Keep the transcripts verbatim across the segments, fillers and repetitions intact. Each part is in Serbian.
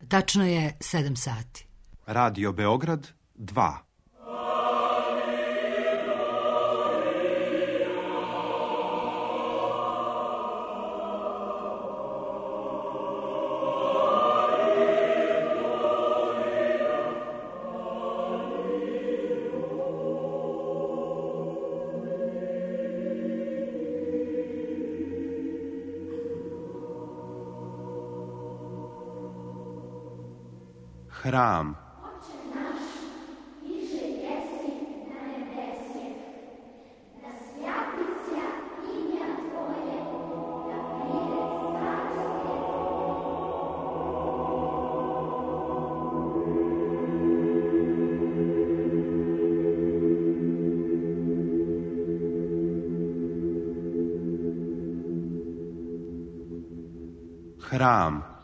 Tačno je sedam sati. Radio Beograd dva. Hram. Hram.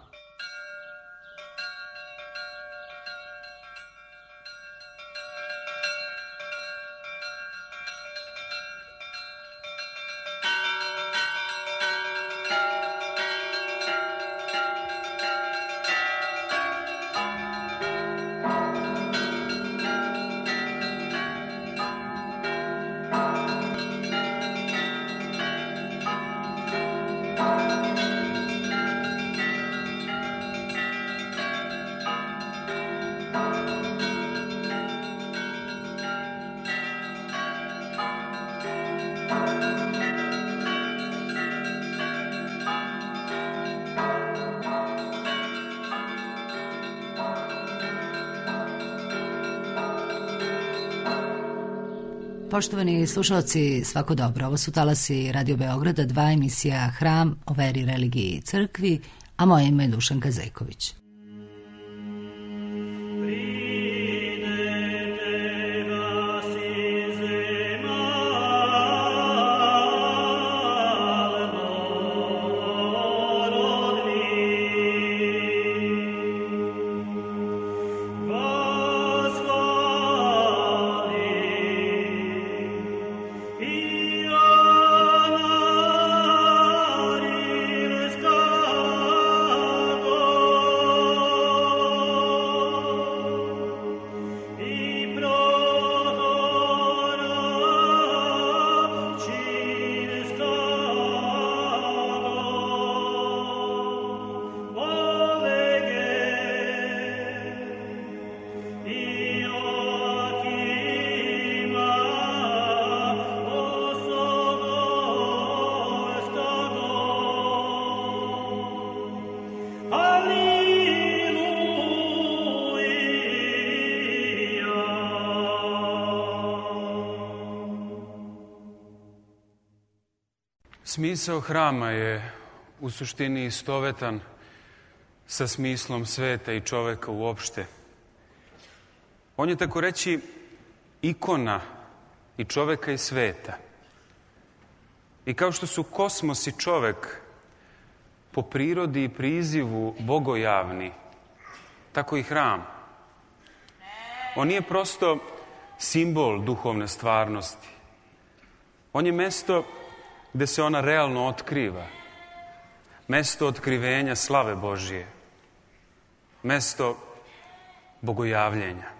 Poštovani slušalci, svako dobro. Ovo su talasi Radio Beograda, dva, emisija Hram o veri, religiji i crkvi, a moje ime je Dušanka Zejković. Smisao hrama je u suštini istovetan sa smislom sveta i čoveka uopšte. On je, tako reći, ikona i čoveka i sveta. I kao što su kosmos i čovek po prirodi i prizivu bogojavni, tako i hram. On nije prosto simbol duhovne stvarnosti. On je mesto gde se ona realno otkriva. Mesto otkrivenja slave Božije. Mesto bogojavljenja.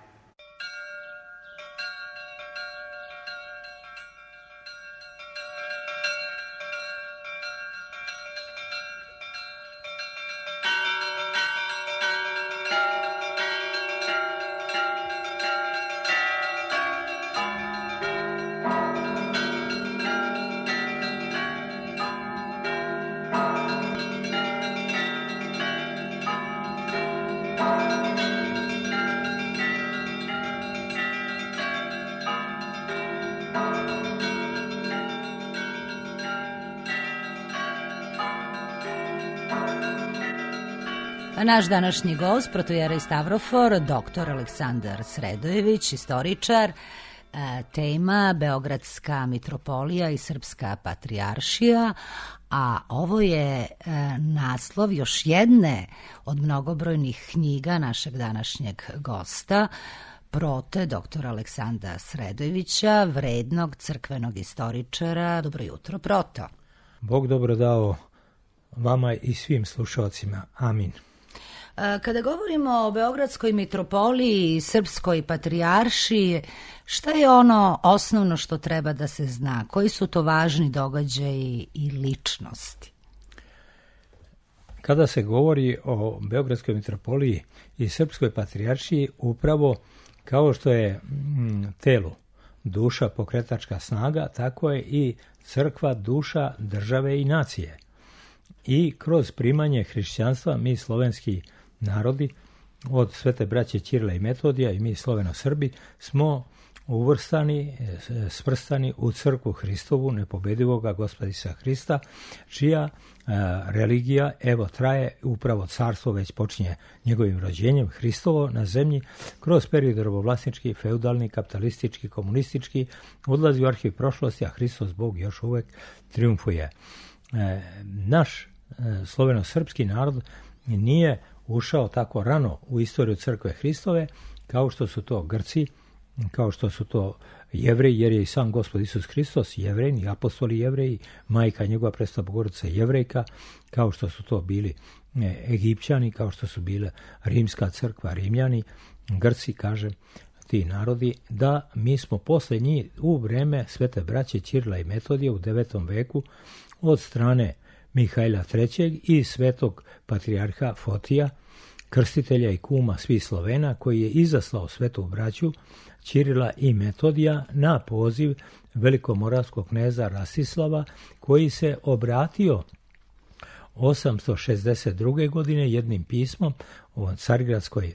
Naš današnji gost, protojerej Stavrofor, doktor Aleksandar Sredojević, istoričar, tema Beogradska mitropolija i Srpska patrijaršija, a ovo je naslov još jedne od mnogobrojnih knjiga našeg današnjeg gosta, prote doktora Aleksandra Sredojevića, vrednog crkvenog istoričara. Dobro jutro, proto. Bog dobro dao vama i svim slušalcima. Amin. Kada govorimo o Beogradskoj mitropoliji i Srpskoj patrijaršiji, šta je ono osnovno što treba da se zna? Koji su to važni događaji i ličnosti? Kada se govori o Beogradskoj mitropoliji i Srpskoj patrijaršiji, upravo kao što je telo duša, pokretačka snaga, tako je i crkva duša države i nacije. I kroz primanje hrišćanstva mi slovenski narodi od Svete braće Ćirila i Metodija i mi Sloveno-Srbi smo uvrstani, svrstani u crkvu Hristovu, nepobedivoga Gospoda Isusa Hrista, čija a, religija evo traje, upravo carstvo već počinje njegovim rođenjem Hristovo na zemlji, kroz period robovlasnički, feudalni, kapitalistički, komunistički, odlazi u arhiv prošlosti, a Hristos Bog još uvek triumfuje. E, naš e, sloveno-srpski narod nije ušao tako rano u istoriju crkve Hristove kao što su to Grci, kao što su to Jevreji, jer je i sam Gospod Isus Hristos Jevrej, i apostoli Jevreji, majka njegova Presveta Bogorodica Jevrejka, kao što su to bili Egipćani, kao što su bile Rimska crkva, Rimljani, Grci, kažem, ti narodi, da mi smo posle njih u vreme Svete braće Ćirila i Metodija u devetom veku od strane Mihajla trećeg i svetog patrijarha Fotija, krstitelja i kuma svih Slovena, koji je izaslao svetu braću Ćirila i Metodija na poziv velikomoravskog kneza Rastislava, koji se obratio osamsto šezdeset druge. godine jednim pismom o Carigradskoj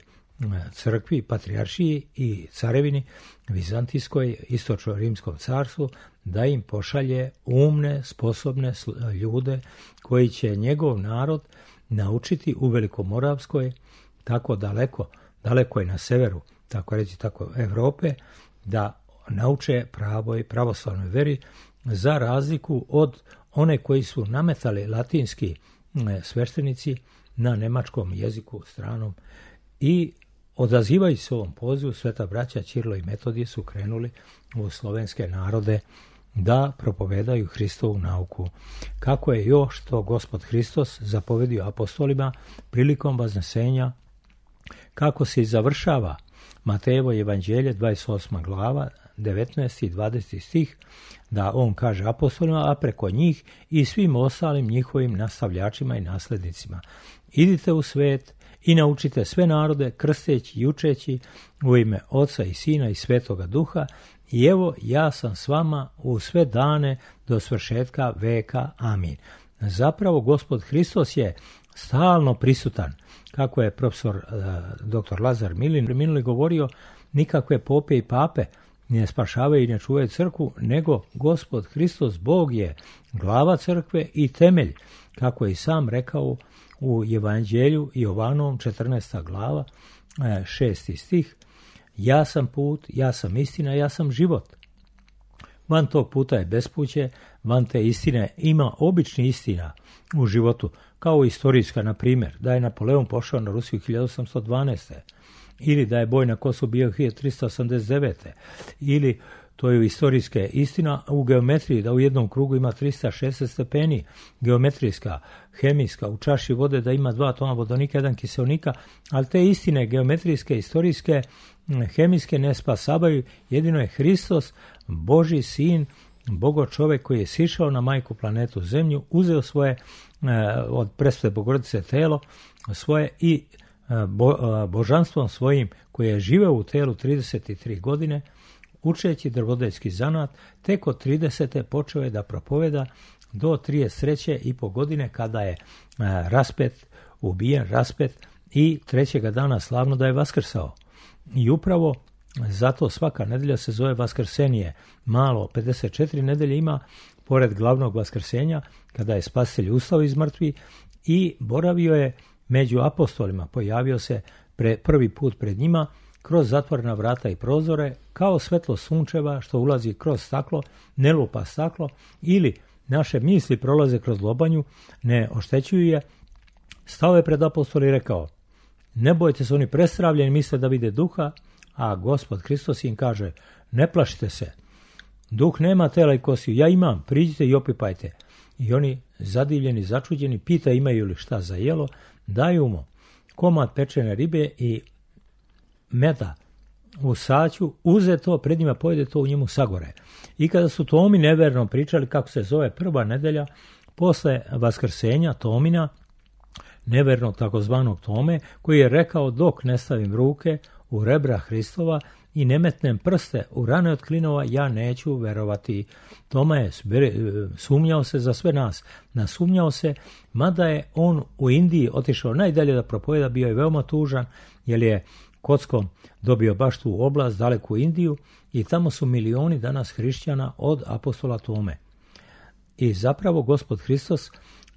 crkvi, patrijaršiji i carevini Vizantijskoj, istočno-rimskom carstvu, da im pošalje umne, sposobne ljude koji će njegov narod naučiti u Velikomoravskoj, tako daleko, daleko je na severu, tako reći, tako Evrope, da nauče pravoj pravoslavnoj veri, za razliku od one koji su nametali latinski sveštenici na nemačkom jeziku stranom. I odazivajući se ovom pozivu, sveta braća Ćirilo i Metodije su krenuli u slovenske narode da propovedaju Hristovu nauku. Kako je još to Gospod Hristos zapovedio apostolima prilikom vaznesenja, kako se i završava Matejevo evanđelje, dvadeset osma glava, devetnaesti i dvadeseti stih, da on kaže apostolima, a preko njih i svim ostalim njihovim nastavljačima i naslednicima: idite u svet i naučite sve narode, krsteći i učeći u ime Oca i Sina i Svetoga Duha, i evo ja sam s vama u sve dane do svršetka veka. Amin. Zapravo Gospod Hristos je stalno prisutan. Kako je profesor uh, doktor Lazar Milin minuli govorio, nikakve pope i pape ne spašavaju i ne čuvaju crkvu, nego Gospod Hristos Bog je glava crkve i temelj, kako je i sam rekao u Evanđelju Jovanovom četrnaesta glava, šesti stih: ja sam put, ja sam istina, ja sam život. Van tog puta je bespuće, van te istine ima obični istina u životu, kao istorijska, na primjer, da je Napoleon pošao na Rusiju hiljadu osamsto dvanaeste. ili da je boj na Kosovu bio hiljadu trista osamdeset devete. ili to je istorijska istina u geometriji, da u jednom krugu ima trista šezdeset stepeni, geometrijska, hemijska, u čaši vode da ima dva atoma vodonika, jedan kiseonika, ali te istine geometrijske, istorijske, hemijske ne spasavaju, jedino je Hristos, Božji sin, Bogo čovjek koji je sišao na majku planetu Zemlju, uzeo svoje od Presvete Bogorodice telo svoje i bo, božanstvom svojim koji je živeo u telu trideset tri godine, učeći drvodeljski zanat, tek od tridesete počeo je da propoveda do trideset treće i po godine, kada je raspet, ubijen, raspet, i trećega dana slavno da je vaskrsao. I upravo zato svaka nedelja se zove Vaskrsenije. Malo, pedeset četiri nedelje ima, pored glavnog vaskrsenja, kada je Spasitelj ustao iz mrtvi i boravio je među apostolima, pojavio se pre, prvi put pred njima, kroz zatvorena vrata i prozore, kao svetlo sunčeva što ulazi kroz staklo, ne lupa staklo, ili naše misli prolaze kroz lobanju, ne oštećuju je. Stao je pred apostoli i rekao: ne bojte se, oni prestravljeni misle da vide duha, a Gospod Hristos im kaže: ne plašite se, duh nema tela i kostiju, ja imam, priđite i opipajte. I oni, zadivljeni, začuđeni, pita imaju li šta za jelo, daju mu komad pečene ribe i meda u saću, uze to, pred njima pojede to, u njemu sagore. I kada su Tomi neverno pričali kako se zove prva nedelja posle vaskrsenja Tomina, nevernog takozvanog Tome, koji je rekao dok ne stavim ruke u rebra Hristova i ne metnem prste u rane od klinova, ja neću verovati. Toma je sumnjao se za sve nas, nasumnjao se, mada je on u Indiji otišao najdalje da propoveda, bio je veoma tužan, jer je kockom dobio baš tu oblast, daleku Indiju, i tamo su milioni danas hrišćana od apostola Tome. I zapravo Gospod Hristos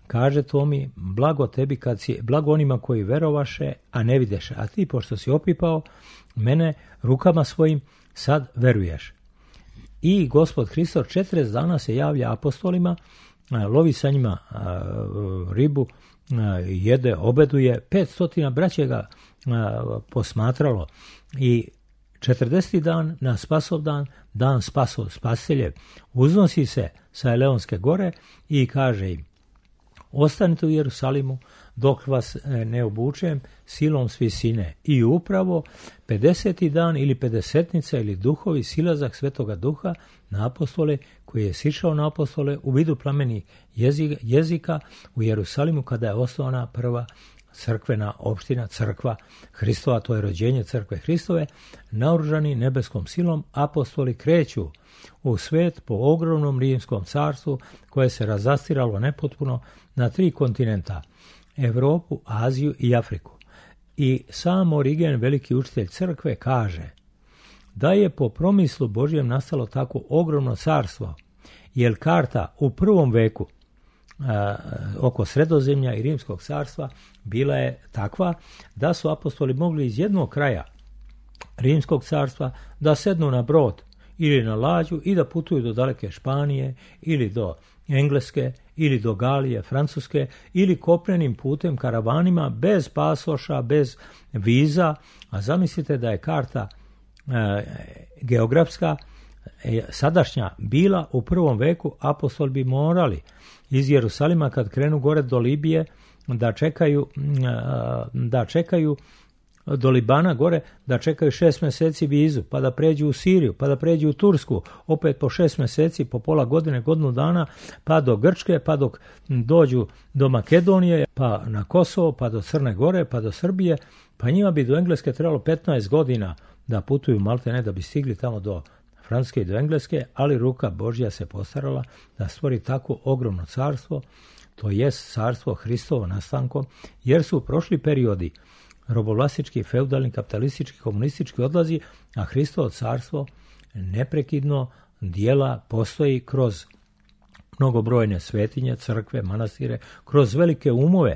kaže Tomi, blago tebi kad si, blago onima koji verovaše, a ne videše, a ti pošto si opipao mene rukama svojim, sad veruješ. I Gospod Hristos četrdeset dana se javlja apostolima, lovi sa njima ribu, jede, obeduje, petstotina braće ga posmatralo i četrdeseti dan na Spasov dan, dan Spasov spasiteljev, uznosi se sa Eleonske gore i kaže im, ostanite u Jerusalimu dok vas ne obučem silom s visine. I upravo pedeseti dan ili pedesetnica ili duhovi, silazak Svetoga Duha na apostole, koji je sišao na apostole u vidu plamenih jezika u Jerusalimu kada je osnovana prva crkvena opština, crkva Hristova, to je rođenje crkve Hristove. Naoružani nebeskom silom apostoli kreću u svet po ogromnom rimskom carstvu koje se razastiralo nepotpuno na tri kontinenta, Evropu, Aziju i Afriku. I sam Origen, veliki učitelj crkve, kaže da je po promislu Božjem nastalo tako ogromno carstvo, jer karta u prvom veku a, oko Sredozemlja i Rimskog carstva bila je takva da su apostoli mogli iz jednog kraja Rimskog carstva da sednu na brod ili na lađu i da putuju do daleke Španije ili do Engleske ili do Galije, Francuske, ili kopnenim putem karavanima bez pasoša, bez viza. A zamislite da je karta e, geografska e, sadašnja bila u prvom veku, apostoli bi morali iz Jerusalima kad krenu gore do Libije da čekaju e, da čekaju do Libana gore, da čekaju šest mjeseci vizu, pa da pređu u Siriju, pa da pređu u Tursku, opet po šest mjeseci, po pola godine, godinu dana, pa do Grčke, pa dok dođu do Makedonije, pa na Kosovo, pa do Crne Gore, pa do Srbije, pa njima bi do Engleske trebalo petnaest godina da putuju, malte ne da bi stigli tamo do Francuske i do Engleske, ali ruka Božja se postarala da stvori tako ogromno carstvo, to jest carstvo Hristovo nastankom, jer su prošli periodi robovlastički, feudalni, kapitalistički, komunistički odlazi, a Hristovo carstvo neprekidno dijela postoji kroz mnogobrojne svetinje, crkve, manastire, kroz velike umove,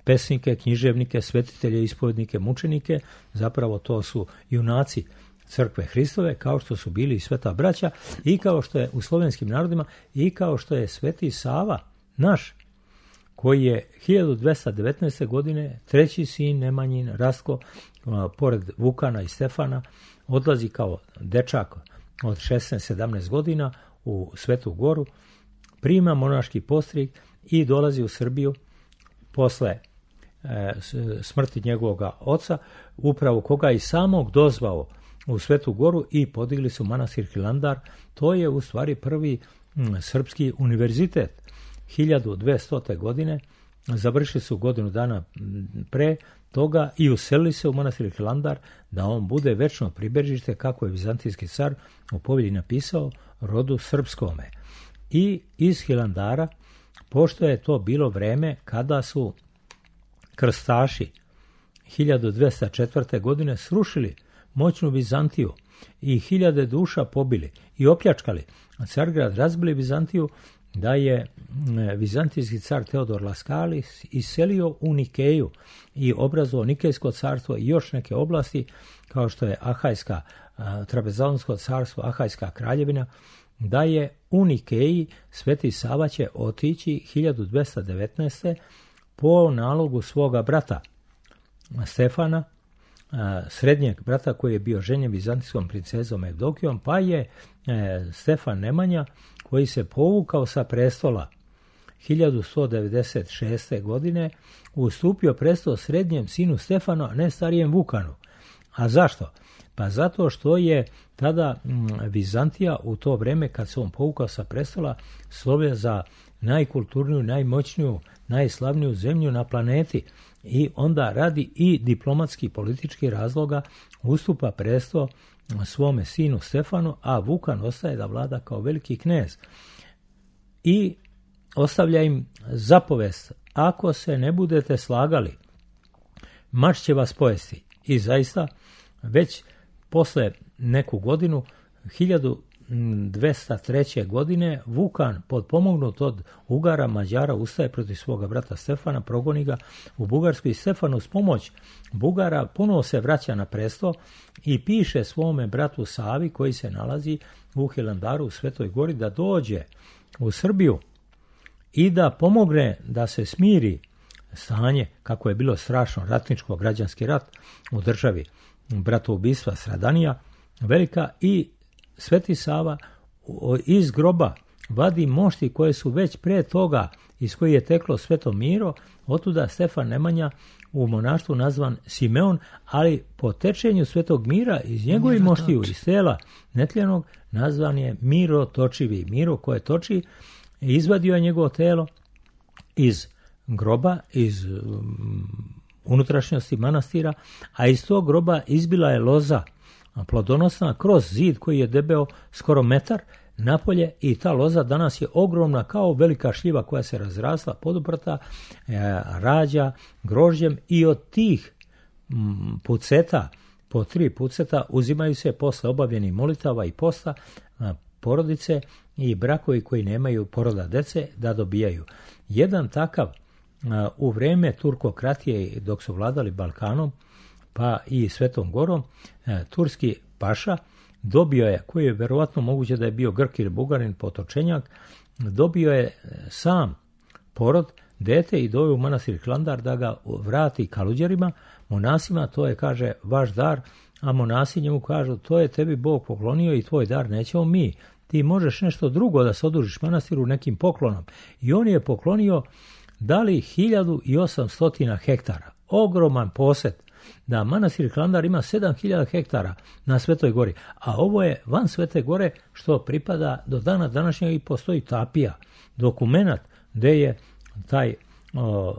pesnike, književnike, svetitelje, ispovednike, mučenike. Zapravo to su junaci crkve Hristove, kao što su bili i sveta braća, i kao što je u slovenskim narodima, i kao što je sveti Sava naš, koji je hiljadu dvesta devetnaeste. godine treći sin Nemanjin, Rastko, pored Vukana i Stefana, odlazi kao dečak od šesnaest sedamnaest godina u Svetu Goru, prima monaški postrig i dolazi u Srbiju posle e, smrti njegovog oca, upravo koga i samog dozvao u Svetu Goru i podigli su manastir Hilandar. To je u stvari prvi m, srpski univerzitet. hiljadu dvesta. godine završili su godinu dana pre toga i uselili se u manastir Hilandar da on bude večno pribežište, kako je vizantijski car u povelji napisao, rodu srpskome. I iz Hilandara, pošto je to bilo vreme kada su krstaši hiljadu dvesta četvrte. godine srušili moćnu Vizantiju i hiljade duša pobili i opljačkali, a Cargrad razbili Vizantiju, da je vizantijski car Teodor Laskalis iselio u Nikeju i obrazovao Nikejsko carstvo i još neke oblasti, kao što je Ahajska, Trapezonsko carstvo, Ahajska kraljevina, da je u Nikeji Sveti Sava će otići hiljadu dvesta devetnaeste. po nalogu svoga brata Stefana, srednjeg brata koji je bio ženjen vizantijskom princezom Evdokijom, pa je Stefan Nemanja, koji se povukao sa prestola hiljadu sto devedeset šeste. godine ustupio presto srednjem sinu Stefanu, a ne starijem Vukanu. A zašto? Pa zato što je tada Vizantija u to vreme kad se on povukao sa prestola slovio za najkulturniju, najmoćniju, najslavniju zemlju na planeti i onda radi i diplomatski politički razloga ustupa presto svome sinu Stefanu, a Vukan ostaje da vlada kao veliki knez. I ostavlja im zapovest, ako se ne budete slagali, mač će vas pojesti. I zaista, već posle neku godinu, hiljadu dvesta treće. godine, Vukan, potpomognut od Ugara, Mađara, ustaje protiv svoga brata Stefana, progoni ga u Bugarsku i Stefan uz pomoć Bugara ponovo se vraća na presto i piše svome bratu Savi, koji se nalazi u Hilandaru u Svetoj Gori, da dođe u Srbiju i da pomogne da se smiri stanje, kako je bilo strašno, ratničko, građanski rat u državi, bratoubistva, stradanija velika, i Sveti Sava iz groba vadi mošti koje su već pre toga, iz koji je teklo Sveto Miro, otuda Stefan Nemanja u monaštvu nazvan Simeon, ali po tečenju Svetog Mira iz njegovih moštiju, iz tela netljenog, nazvan je Miro Točivi. Miro koje toči, izvadio je njegovo telo iz groba, iz um, unutrašnjosti manastira, a iz tog groba izbila je loza plodonosna kroz zid koji je debeo skoro metar napolje, i ta loza danas je ogromna kao velika šljiva koja se razrasla, poduprta, e, rađa grožđem, i od tih m, puceta, po tri puceta, uzimaju se posle obavljenih molitava i posta a, porodice i brakovi koji nemaju poroda dece da dobijaju. Jedan takav a, u vreme turkokratije, dok su vladali Balkanom pa i Svetom Gorom, a, turski paša dobio je, koji je verovatno moguće da je bio Grk ili Bugarin, potočenjak, dobio je sam porod, dete, i doveo u manastir Hilandar da ga vrati kaluđerima, monasima. To je, kaže, vaš dar, a monasi njemu kažu, to je tebi Bog poklonio i tvoj dar nećemo mi. Ti možeš nešto drugo da se odužiš manastiru nekim poklonom. I on je poklonio, dali hiljadu i osamstotina hektara. Ogroman posed. Da manastir Hilandar ima sedam hiljada hektara na Svetoj Gori, a ovo je van Svete Gore, što pripada do dana današnjeg, i postoji tapija, dokumenat gde je taj o,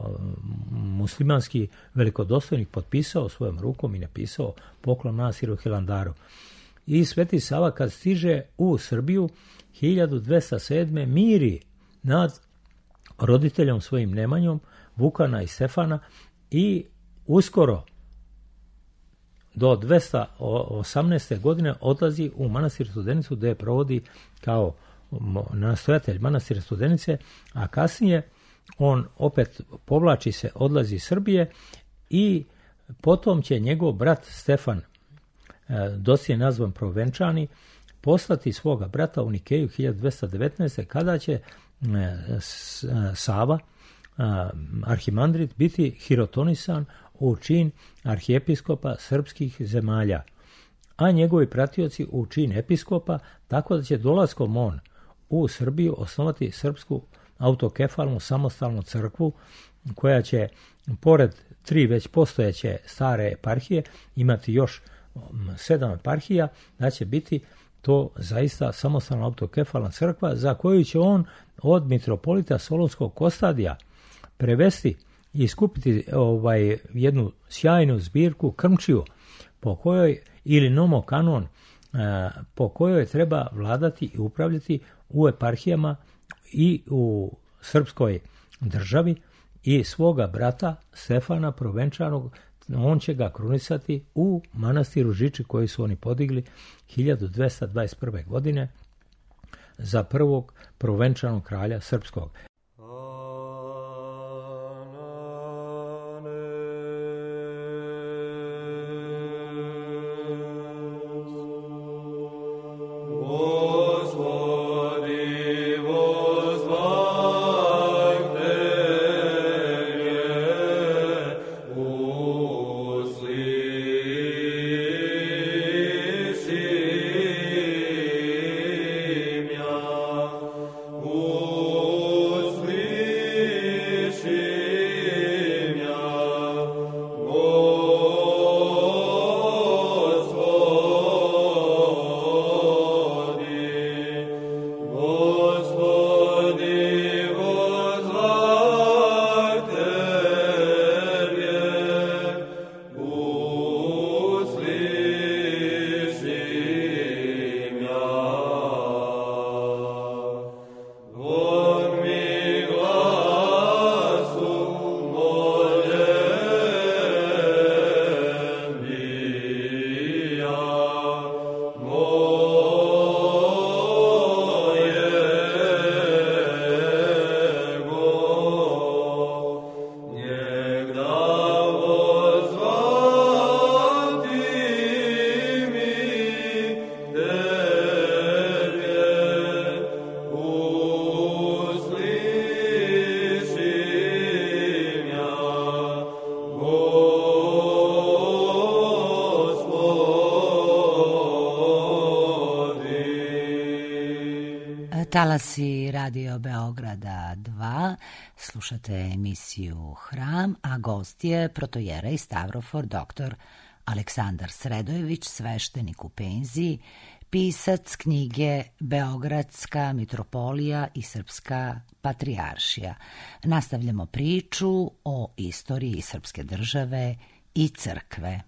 muslimanski velikodostojnik potpisao svojom rukom i napisao poklon manastiru Hilandaru. I Sveti Sava kad stiže u Srbiju hiljadu dvesta sedme. miri nad roditeljom svojim Nemanjom, Vukana i Stefana, i uskoro do dvesta osamnaeste. godine odlazi u manastir Studenicu, gde je provodi kao nastojatelj manastira Studenice, a kasnije on opet povlači se, odlazi iz Srbije, i potom će njegov brat Stefan, doslije nazvan Provenčani, poslati svoga brata u Nikeju hiljadu dvesta devetnaeste. kada će Sava, arhimandrit, biti hirotonisan u čin arhijepiskopa srpskih zemalja, a njegovi pratioci u čin episkopa, tako da će dolaskom on u Srbiju osnovati srpsku autokefalnu samostalnu crkvu, koja će, pored tri već postojeće stare eparhije, imati još sedam eparhija, da će biti to zaista samostalna autokefalna crkva, za koju će on od mitropolita Solunskog Kostadija prevesti i skupiti ovaj, jednu sjajnu zbirku krmčiju, po kojoj, ili nomokanon, po kojoj treba vladati i upravljati u eparhijama i u srpskoj državi, i svoga brata Stefana Provenčanog, on će ga krunisati u manastiru Žiči, koji su oni podigli hiljadu dvesta dvadeset prve. godine za prvog Provenčanog kralja srpskog. Oh Talasi Radio Beograda dva, slušate emisiju Hram, a gost je protojerej Stavrofor doktor Aleksandar Sredojević, sveštenik u penziji, pisac knjige Beogradska mitropolija i Srpska patrijaršija. Nastavljamo priču o istoriji srpske države i crkve.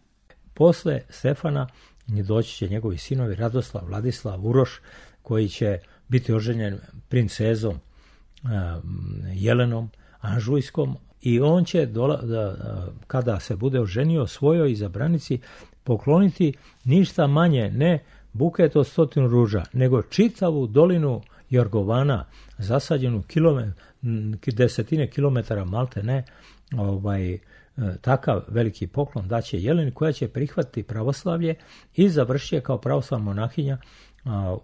Posle Stefana doći će njegovi sinovi Radoslav, Vladislav, Uroš, koji će biti oženjen princezom Jelenom Anžujskom, i on će, dola, da, kada se bude oženio, svojoj izabranici pokloniti ništa manje, ne buket od stotinu ruža, nego čitavu dolinu Jorgovana, zasađenu kilome, desetine kilometara malte ne, ovaj, takav veliki poklon daće Jeleni, koja će prihvatiti pravoslavlje i završiti kao pravoslavna monahinja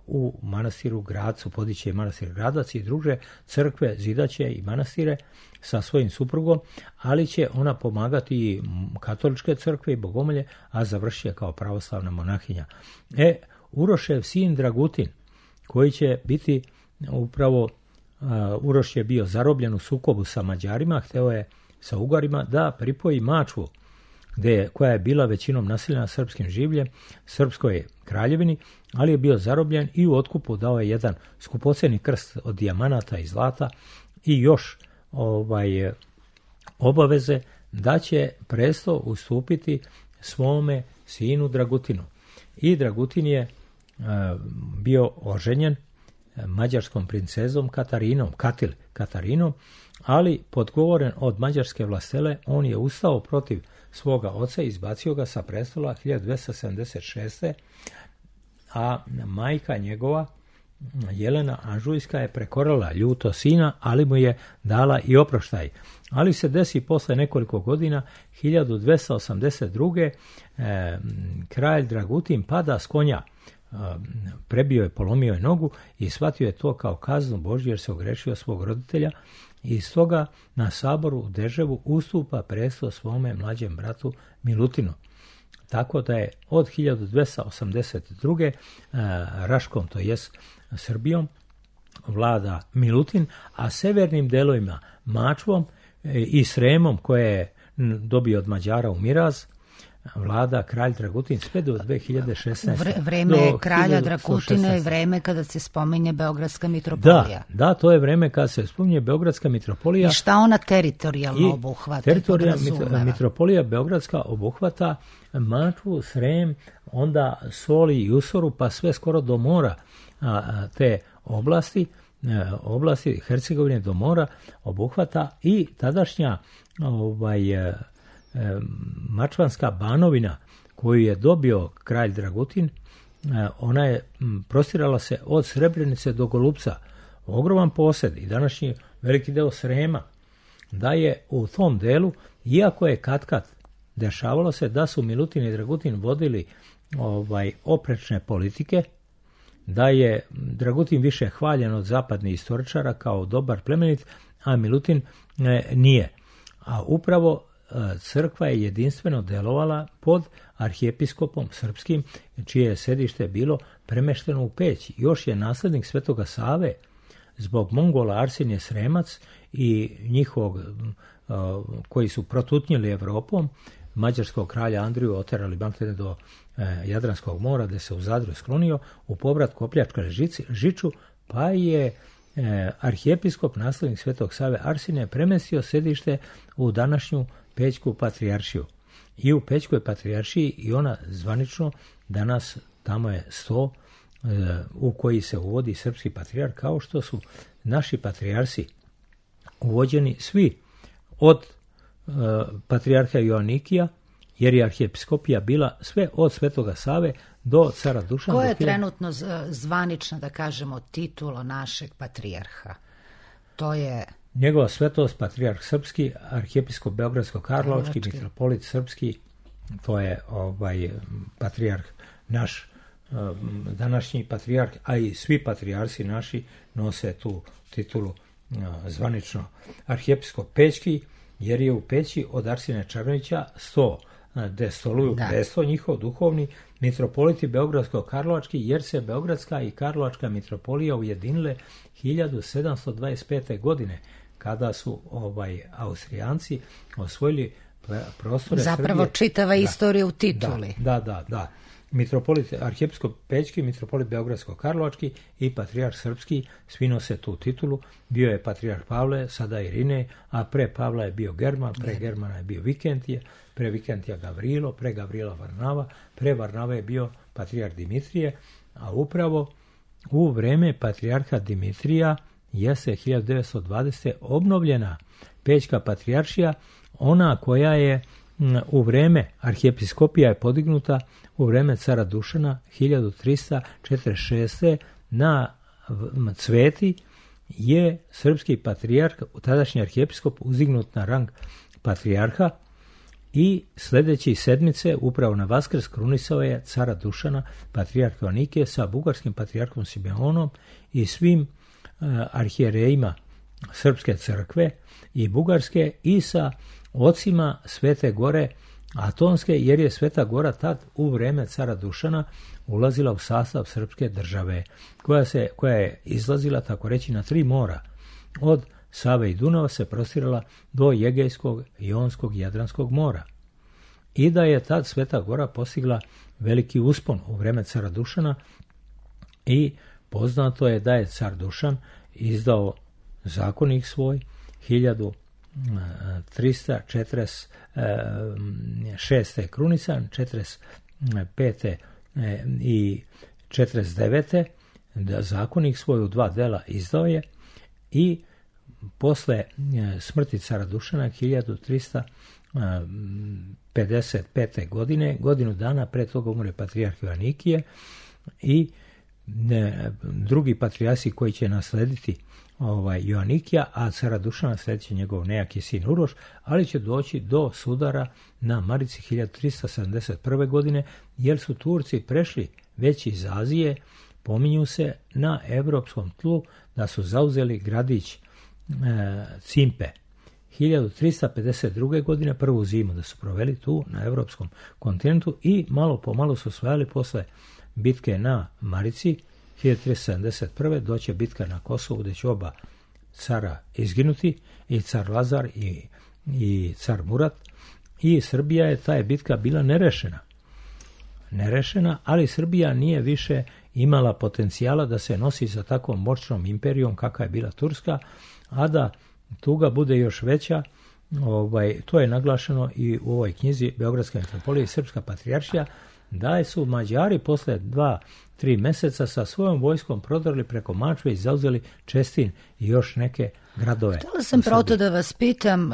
u manastiru Gradcu, podiće manastir Gradac i druge crkve, zidaće i manastire sa svojim suprugom, ali će ona pomagati i katoličke crkve i bogomolje, a završuje kao pravoslavna monahinja. E, Urošev sin Dragutin, koji će biti upravo, uh, Uroš je bio zarobljen u sukobu sa Mađarima, hteo je sa Ugarima da pripoji Mačvu, gde, koja je bila većinom naseljena srpskim življem, srpskoj kraljevini, ali je bio zarobljen i u otkupu dao je jedan skupoceni krst od dijamanata i zlata i još ovaj, obaveze da će presto ustupiti svome sinu Dragutinu. I Dragutin je uh, bio oženjen mađarskom princezom Katarinom, Katil Katarinom, ali podgovoren od mađarske vlastele, on je ustao protiv svoga oca i izbacio ga sa prestola hiljadu dvesta sedamdeset šeste. A majka njegova, Jelena Anžujska, je prekorala ljuto sina, ali mu je dala i oproštaj. Ali se desi posle nekoliko godina, hiljadu dvesta osamdeset druge. Eh, kralj Dragutin pada s konja, eh, prebio je, polomio je nogu i shvatio je to kao kaznu Božju jer se ogrešio svog roditelja, i stoga na saboru u Deževu ustupa presto svome mlađem bratu Milutinu. Tako da je od hiljadu dvesta osamdeset druge. Eh, Raškom, to jest Srbijom, vlada Milutin, a severnim delovima Mačvom i Sremom, koje je dobio od Mađara u miraz, vlada kralj Dragutin sve do dve hiljade šesnaeste. Vre, vreme do kralja Dragutina je vreme kada se spominje Beogradska mitropolija. Da, da, to je vreme kada se spominje Beogradska mitropolija. I šta ona teritorijalno obuhvata? Teritorijalna mitropolija Beogradska obuhvata Mačvu, Srem, onda Soli i Usoru, pa sve skoro do mora a, te oblasti, a, oblasti Hercegovine do mora obuhvata i tadašnja ovaj, a, a, Mačvanska banovina koju je dobio kralj Dragutin. A, ona je m, prostirala se od Srebrenice do Golupca. Ogroman posed i današnji veliki deo Srema, da je u tom delu, iako je katkad dešavalo se da su Milutin i Dragutin vodili ovaj, oprečne politike, da je Dragutin više hvaljen od zapadnih istoričara kao dobar plemenit, a Milutin e, nije. A upravo e, crkva je jedinstveno delovala pod arhijepiskopom srpskim, čije je sedište bilo premešteno u Peć. Još je naslednik Svetoga Save zbog Mongola Arsenije Sremac i njihovog e, koji su protutnjili Evropom, mađarskog kralja Andriju oterali maltene do e, Jadranskog mora, gde se u Zadru sklonio u povrat Kopljačka Žiču, pa je e, arhijepiskop, naslednik Svetog Save Arsenije, premestio sedište u današnju Pećku patrijaršiju. I u Pećkoj patrijaršiji i ona zvanično danas tamo je sto e, u koji se uvodi srpski patrijarh, kao što su naši patrijarsi uvođeni svi od e, patrijarha Joanikija, jer je arhijepiskopija bila sve od Svetoga Save do cara Dušana. Koja je trenutno zvanična, da kažemo, titula našeg patrijarha? To je... Njegova svetost, patrijarh srpski, arhijepiskop Beogradsko-Karlovački, mitropolit srpski, to je ovaj patrijarh naš, današnji patrijarh, a i svi patrijarsi naši nose tu titulu zvanično. Arhijepiskop Pećki, jer je u Peći od Arsine Čarnovića sto gde stoluju Da. presto njihov duhovni mitropoliti Beogradsko-Karlovački, jer se Beogradska i Karlovačka mitropolija ujedinile hiljadu sedamsto dvadeset pete. godine, kada su ovaj Austrijanci osvojili prostore Zapravo Srbije. čitava Da. istorija u tituli. Da, da, da. da. Mitropolit arhijepiskop Pećki, mitropolit Beogradsko-Karlovački i patrijarh srpski svi nose tu titulu. Bio je patrijarh Pavle, sada Irine, a pre Pavla je bio German, pre Germana je bio Vikentije, pre Vikentija Gavrilo, pre Gavrila Varnava, pre Varnava je bio patrijarh Dimitrije, a upravo u vreme patrijarha Dimitrija jeste hiljadu devetsto dvadesete. obnovljena Pećka patrijaršija, ona koja je u vreme arhijepiskopija je podignuta u vreme cara Dušana hiljadu trista četrdeset šeste. na Cveti je srpski patrijarh, tadašnji arhijepiskop, uzdignut na rang patrijarha i sljedeće sedmice, upravo na Vaskrs, krunisao je cara Dušana, patrijarh Joannikije, sa bugarskim patrijarhom Simeonom i svim uh, arhijerejima Srpske crkve i bugarske i sa ocima Svete Gore Atonske, jer je Sveta Gora tad u vreme cara Dušana ulazila u sastav srpske države, koja, se, koja je izlazila, tako reći, na tri mora. Od Save i Dunava se prostirala do Jegejskog, Jonskog i Jadranskog mora. I da je tad Sveta Gora postigla veliki uspon u vreme cara Dušana i poznato je da je car Dušan izdao zakonik svoj hiljadu trista četrdeset šeste. krunisan, četrdeset pete. i četrdeset devete. da zakonik svoj u dva dela izdao je i posle smrti cara Dušana hiljadu trista pedeset pete. godine, godinu dana pre toga umre patrijarh Joannikije i ne, drugi patrijarsi koji će naslediti ovaj Joannikija, a cara Dušana sljedeći njegov nejaki sin Uroš, ali će doći do sudara na Marici hiljadu trista sedamdeset prve. godine, jer su Turci prešli već iz Azije, pominju se na evropskom tlu da su zauzeli gradić e, Cimpe. hiljadu trista pedeset druge. godine, prvu zimu da su proveli tu na evropskom kontinentu i malo po malo su osvajali posle bitke na Marici hiljadu trista sedamdeset prve. doće bitka na Kosovu gdje će oba cara izginuti, i car Lazar i, i car Murat, i Srbija je, ta je bitka bila nerešena. Nerešena, ali Srbija nije više imala potencijala da se nosi sa takvom moćnom imperijom kakva je bila Turska, a da tuga bude još veća. Ovaj, to je naglašeno i u ovoj knjizi Beogradska mitropolija i Srpska patrijaršija, da su Mađari posle dva, tri meseca sa svojom vojskom prodrli preko Mačve i zauzeli Čestin i još neke gradove. Htjela sam proto da vas pitam,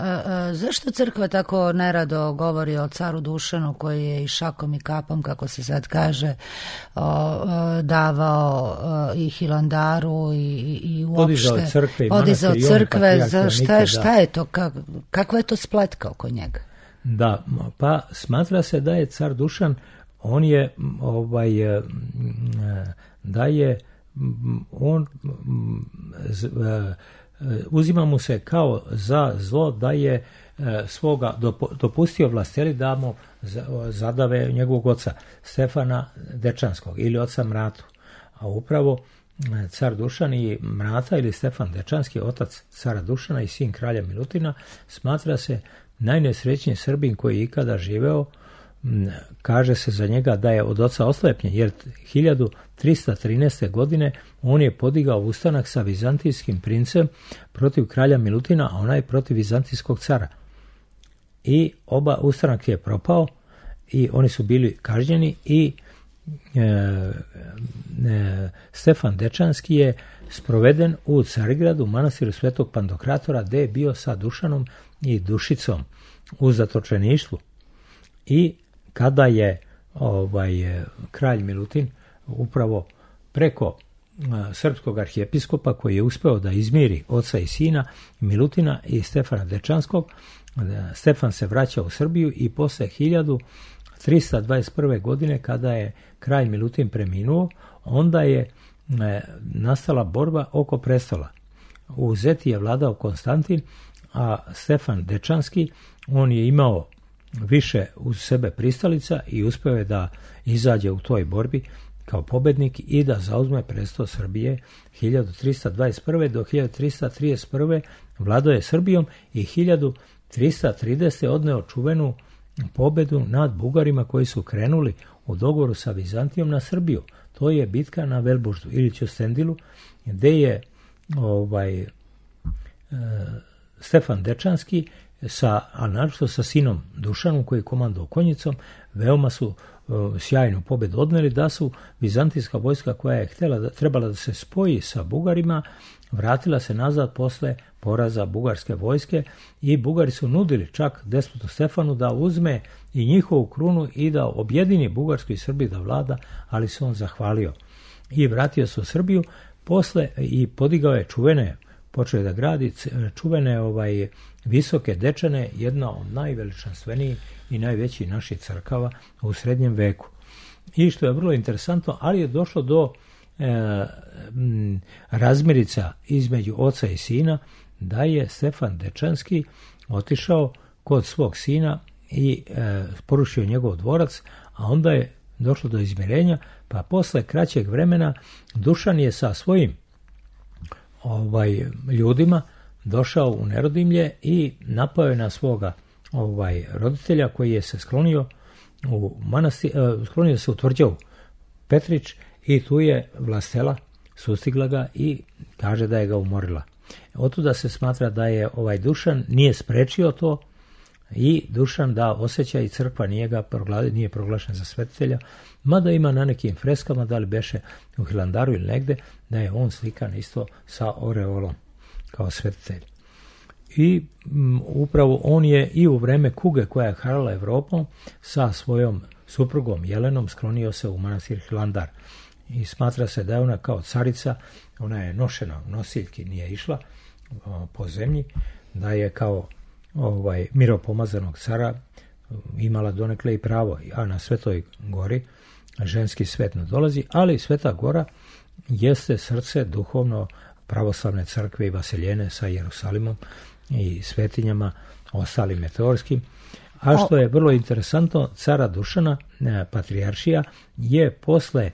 zašto crkva tako nerado govori o caru Dušanu, koji je i šakom i kapom, kako se sad kaže, davao i Hilandaru i, i uopšte podizao crkve, i podizao manastir, crkve, za šta, nikada. šta je to, kak, kakva je to spletka oko njega? Da, pa smatra se da je car Dušan, on je ovaj da je on uzima mu se kao za zlo da je svoga dopustio vlasteli da mu zadave njegovog oca Stefana Dečanskog ili oca Mratu. A upravo car Dušan i Mrata ili Stefan Dečanski, otac cara Dušana i sin kralja Milutina, smatra se najnesrećniji Srbin koji je ikada živeo. Kaže se za njega da je od oca oslepljen, jer hiljadu trista trinaeste. godine on je podigao ustanak sa vizantijskim princem protiv kralja Milutina, a onaj protiv vizantijskog cara. I oba ustanak je propao i oni su bili kažnjeni i e, e, Stefan Dečanski je sproveden u Carigradu, u manastiru Svetog Pantokratora, gde je bio sa Dušanom i Dušicom u zatočeništvu. I kada je ovaj kralj Milutin upravo preko a, srpskog arhijepiskopa, koji je uspeo da izmiri oca i sina Milutina i Stefana Dečanskog, da, Stefan se vraća u Srbiju i posle hiljadu trista dvadeset prve. godine, kada je kralj Milutin preminuo, onda je e, nastala borba oko prestola. U Zeti je vladao Konstantin, a Stefan Dečanski, on je imao više uz sebe pristalica i uspeo je da izađe u toj borbi kao pobednik i da zauzme presto Srbije hiljadu trista dvadeset prve. do hiljadu trista trideset prve. vladao je Srbijom i hiljadu trista tridesete. odneo čuvenu pobedu nad Bugarima koji su krenuli u dogovoru sa Vizantijom na Srbiju. To je bitka na Velbuždu ili Ćustendilu, gde je ovaj, e, Stefan Dečanski, sa, a naročito sa sinom Dušanom koji je komandovao konjicom, veoma su e, sjajnu pobedu odneli, da su vizantijska vojska koja je htjela da, trebala da se spoji sa Bugarima, vratila se nazad posle poraza bugarske vojske i Bugari su nudili čak despotu Stefanu da uzme i njihovu krunu i da objedini Bugarsku i Srbiju da vlada, ali se on zahvalio i vratio se u Srbiju posle i podigao je čuvene, počeo je da gradi čuvene ovaj, visoke Dečane, jedna od najveličanstvenijih i najvećih naših crkava u srednjem veku. I što je vrlo interesantno, ali je došlo do e, m, razmirica između oca i sina, da je Stefan Dečanski otišao kod svog sina i e, porušio njegov dvorac, a onda je došlo do izmirenja, pa posle kraćeg vremena Dušan je sa svojim ovaj, ljudima došao u Nerodimlje i napao je na svoga ovaj, roditelja koji je se sklonio u manastir, e, sklonio se u tvrđavu Petrić i tu je Vlastela sustigla ga i kaže da je ga umorila. Otuda se smatra da je ovaj Dušan nije sprečio to i Dušan da osjeća i crkva nije ga proglasila, nije proglašen za svetitelja, mada ima na nekim freskama, da li beše u Hilandaru ili negde, da je on slikan isto sa oreolom kao svetitelj. I m, upravo on je i u vreme kuge koja je harala Evropom sa svojom suprugom Jelenom sklonio se u manastir Hilandar. I smatra se da je ona kao carica, ona je nošena u nosiljki, nije išla o, po zemlji, da je kao ovaj, miropomazanog cara imala donekle i pravo, a na Svetoj gori ženski svet ne dolazi, ali Sveta gora jeste srce duhovno pravoslavne crkve i Vasiljene sa Jerusalimom i svetinjama ostalim meteorskim. A što je vrlo interesantno, cara Dušana, patrijaršija, je posle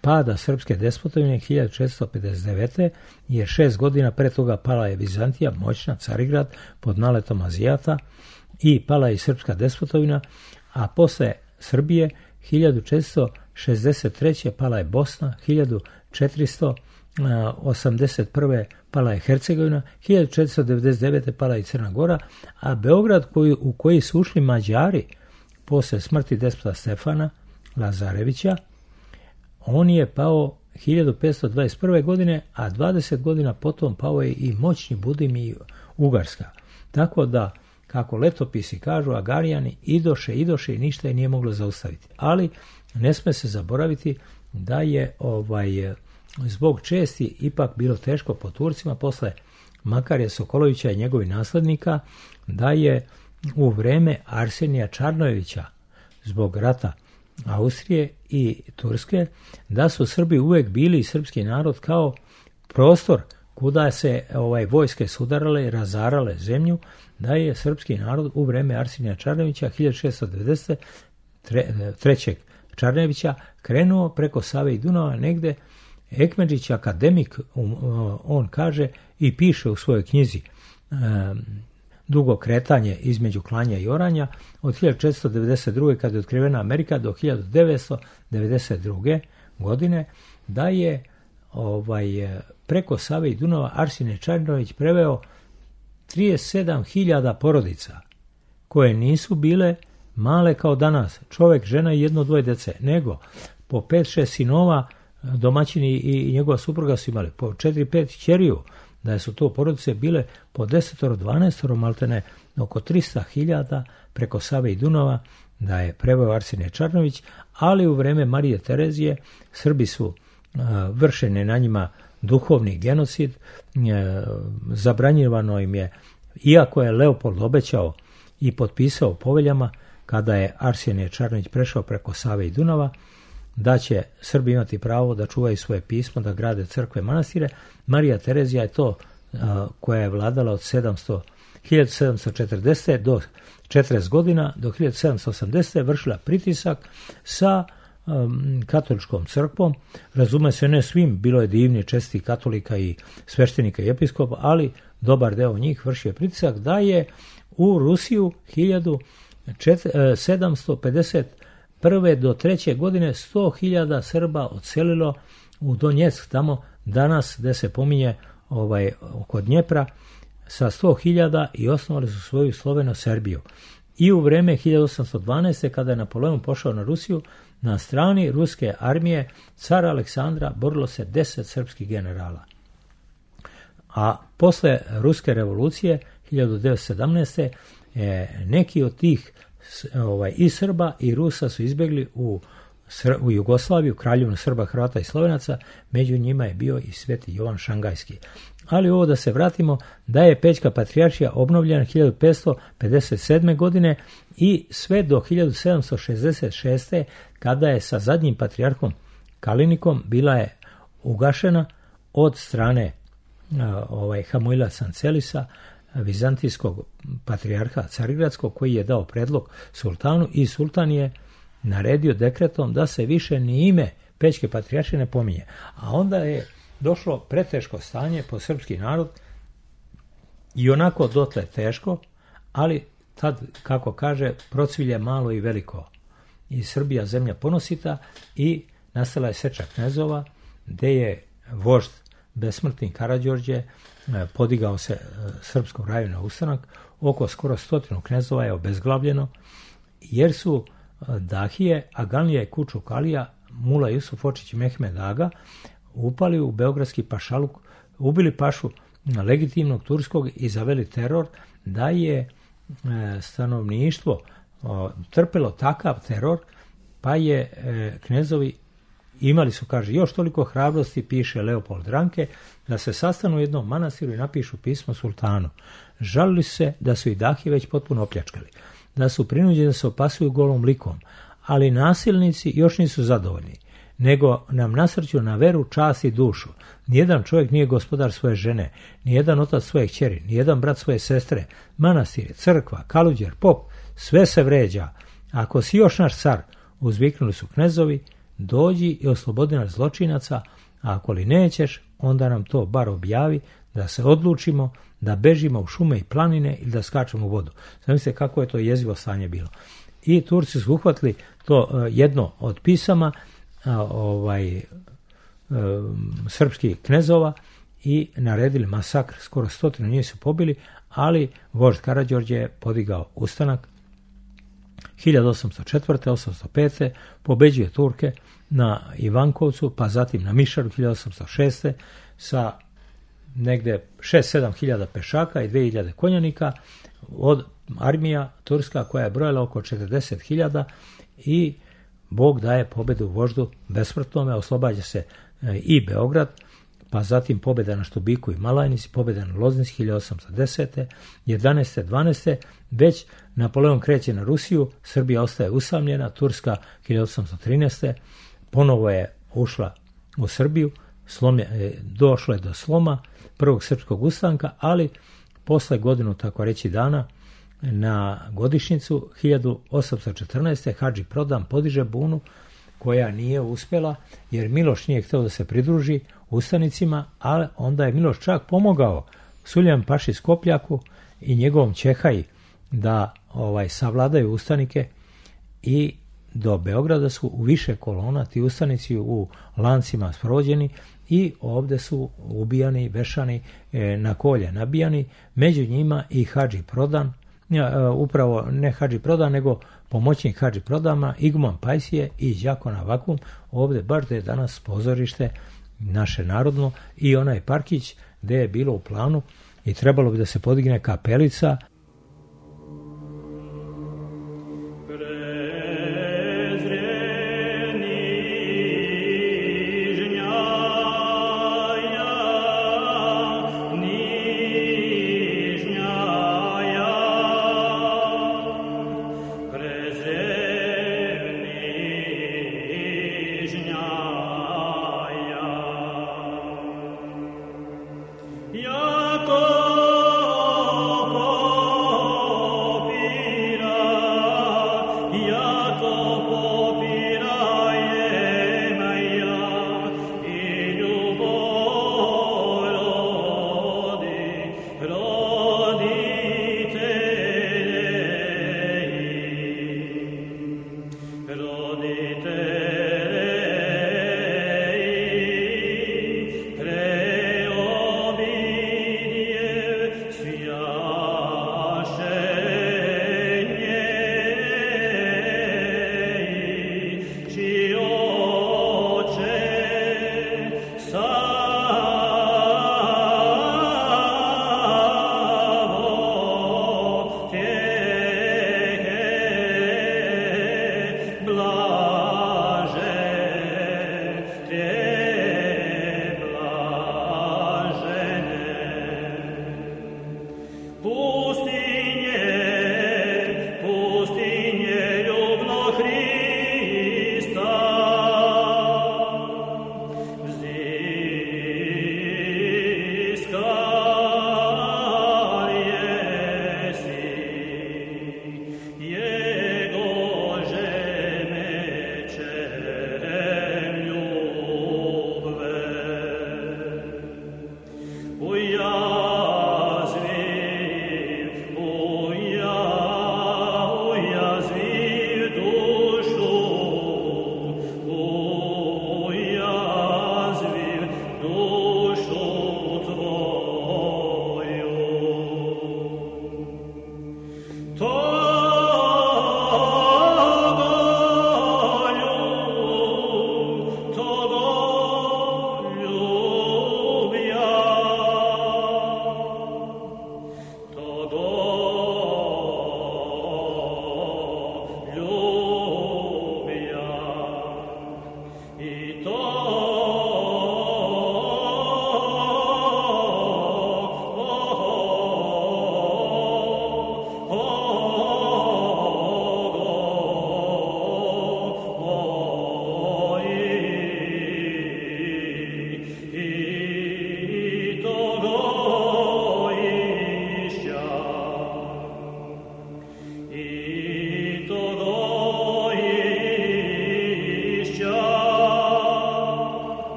pada srpske despotovine hiljadu četiristo pedeset devete. jer šest godina pre toga pala je Vizantija, moćna Carigrad pod naletom Azijata, i pala je i srpska despotovina, a posle Srbije hiljadu četiristo šezdeset treće. pala je Bosna, hiljadu četiristo osamdeset prve. pala je Hercegovina, hiljadu četiristo devedeset devete. pala je Crna Gora, a Beograd koji, u koji su ušli Mađari posle smrti despota Stefana Lazarevića, on je pao hiljadu petsto dvadeset prve. godine, a dvadeset godina potom pao je i moćni Budim i Ugarska. Tako da, kako letopisi kažu, Agarijani idoše, idoše i ništa je nije moglo zaustaviti. Ali ne sme se zaboraviti da je ovaj, zbog česti ipak bilo teško po Turcima posle Makarija Sokolovića i njegovih naslednika, da je u vreme Arsenija Čarnojevića zbog rata Austrije i Turske, da su Srbi uvek bili i srpski narod kao prostor kuda se ovaj, vojske sudarale i razarale zemlju, da je srpski narod u vreme Arsenija Čarnojevića hiljadu šessto devedeset trećeg. Čarnevića krenuo preko Save i Dunava negde. Ekmedžić, akademik, on kaže i piše u svojoj knjizi Dugo kretanje između klanja i oranja od hiljadu četiristo devedeset druge. kada je otkrivena Amerika do hiljadu devetsto devedeset druge. godine, da je ovaj, preko Save i Dunava Arsenije Čarnojević preveo trideset sedam hiljada porodica koje nisu bile male kao danas, čovek, žena i jedno dvoje dece, nego po pet šest sinova, domaćini i njegova supruga su imali, po četiri pet ćeriju, da su to porodice bile po desetoro dvanaestoro, maltene oko trista hiljada preko Save i Dunava, da je preveo Arsenije Čarnojević, ali u vreme Marije Terezije Srbi su a, vršene na njima duhovni genocid, a, zabranjivano im je, iako je Leopold obećao i potpisao poveljama, kada je Arsenije Čarnojević prešao preko Save i Dunava, da će Srbi imati pravo da čuvaju svoje pismo, da grade crkve, manastire. Marija Terezija je to, a, koja je vladala od sedamsto hiljadu sedamsto četrdesete do četrdeset godina, do hiljadu sedamsto osamdesete vršila pritisak sa um, katoličkom crkvom. Razume se, ne svim, bilo je divni česti katolika i sveštenika i episkopa, ali dobar deo njih vršio pritisak da je u Rusiju hiljadu sedamsto pedeset prve do treće godine sto hiljada Srba odselilo u Donjeck, tamo danas gde se pominje ovaj, oko Dnjepra, sa sto hiljada i osnovali su svoju Sloveno-Serbiju. I u vreme hiljadu osamsto dvanaeste. kada je Napoleon pošao na Rusiju, na strani ruske armije cara Aleksandra borilo se deset srpskih generala. A posle Ruske revolucije hiljadu devetsto sedamnaeste. neki od tih ovaj, i Srba i Rusa su izbjegli u, u Jugoslaviju, kraljevinu Srba, Hrvata i Slovenaca, među njima je bio i Sveti Jovan Šangajski. Ali ovo da se vratimo, da je Pećka patrijaršija obnovljena hiljadu petsto pedeset sedme. godine i sve do hiljadu sedamsto šezdeset šeste. kada je sa zadnjim patrijarhom Kalinikom bila je ugašena od strane ovaj, Hamuila Sancelisa, vizantijskog patrijarha Carigradskog, koji je dao predlog sultanu i sultan je naredio dekretom da se više ni ime Pećke patrijaršije ne pominje. A onda je došlo preteško stanje po srpski narod i onako dotle teško, ali tad, kako kaže, procvilje malo i veliko. I Srbija zemlja ponosita i nastala je seča knezova, gde je vožd besmrtni Karađorđe podigao se srpskom raju na ustanak. Oko skoro stotinu knezova je obezglavljeno, jer su Dahije, Aganlija i Kučuk Alija, Mula Jusuf Očić i Mehmed Aga upali u beogradski pašaluk, ubili pašu legitimnog turskog i zaveli teror, da je stanovništvo trpelo takav teror, pa je knezovi imali su, kaže, još toliko hrabrosti, piše Leopold Ranke, da se sastanu u jednom manastiru i napišu pismo sultanu. Žalili se da su i Dahije već potpuno opljačkali, da su prinuđeni da se opasuju golom likom, ali nasilnici još nisu zadovoljni, nego nam nasrću na veru, čast i dušu. Nijedan čovjek nije gospodar svoje žene, nijedan otac svoje kćeri, nijedan brat svoje sestre, manastir, crkva, kaluđer, pop, sve se vređa. Ako si još naš car, uzviknuli su knezovi, dođi i oslobodi nas zločinaca, a ako li nećeš, onda nam to bar objavi, da se odlučimo da bežimo u šume i planine ili da skačemo u vodu. Zamislite kako je to jezivo stanje bilo. I Turci su uhvatili to uh, jedno od pisama uh, ovaj, uh, srpskih knezova i naredili masakr, skoro stotinu njih su pobili, ali vožd Karađorđe je podigao ustanak. hiljadu osamsto četvrte. osamsto pete. pobeđuje Turke na Ivankovcu, pa zatim na Mišaru hiljadu osamsto šeste. sa negde šest sedam hiljada pešaka i dve hiljade konjanika, od armija turska koja je brojala oko četrdeset hiljada, i Bog daje pobedu voždu besmrtnome, oslobađa se i Beograd, pa zatim pobjeda na Štubiku i Malajnici, pobjeda na Loznici hiljadu osamsto desete. jedanaeste. dvanaeste. već Napoleon kreće na Rusiju, Srbija ostaje usamljena, Turska hiljadu osamsto trinaeste. ponovo je ušla u Srbiju, slomlje, došlo je do sloma prvog srpskog ustanka, ali posle godinu, tako reći, dana, na godišnjicu hiljadu osamsto četrnaeste. Hadži Prodan podiže bunu koja nije uspjela, jer Miloš nije htio da se pridruži ustanicima, ali onda je Miloš čak pomogao Suljan Paši Skopljaku i njegovom Čehaji da ovaj savladaju ustanike, i do Beograda su u više kolona ti ustanici u lancima sprovođeni i ovdje su ubijani, vešani, e, na kolje nabijani, među njima i Hadži Prodan, e, upravo ne Hadži Prodan, nego pomoćnik Hadži Prodama, Iguman Pajsije i Đakona Vakum, ovdje baš da je danas pozorište naše narodno, i onaj parkić gdje je bilo u planu i trebalo bi da se podigne kapelica. Jakob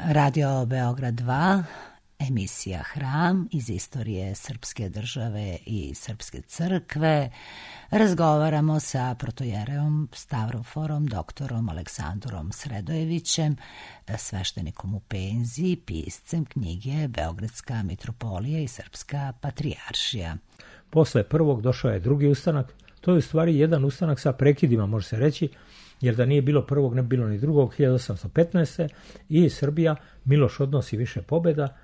Radio Beograd dva, emisija Hram iz istorije srpske države i srpske crkve. Razgovaramo sa protojereom Stavroforom, doktorom Aleksandrom Sredojevićem, sveštenikom u penziji, piscem knjige Beogradska mitropolija i Srpska patrijaršija. Posle prvog došao je drugi ustanak. To je u stvari jedan ustanak sa prekidima, može se reći, jer da nije bilo prvog, ne bi bilo ni drugog, hiljadu osamsto petnaeste. i Srbija, Miloš odnosi više pobjeda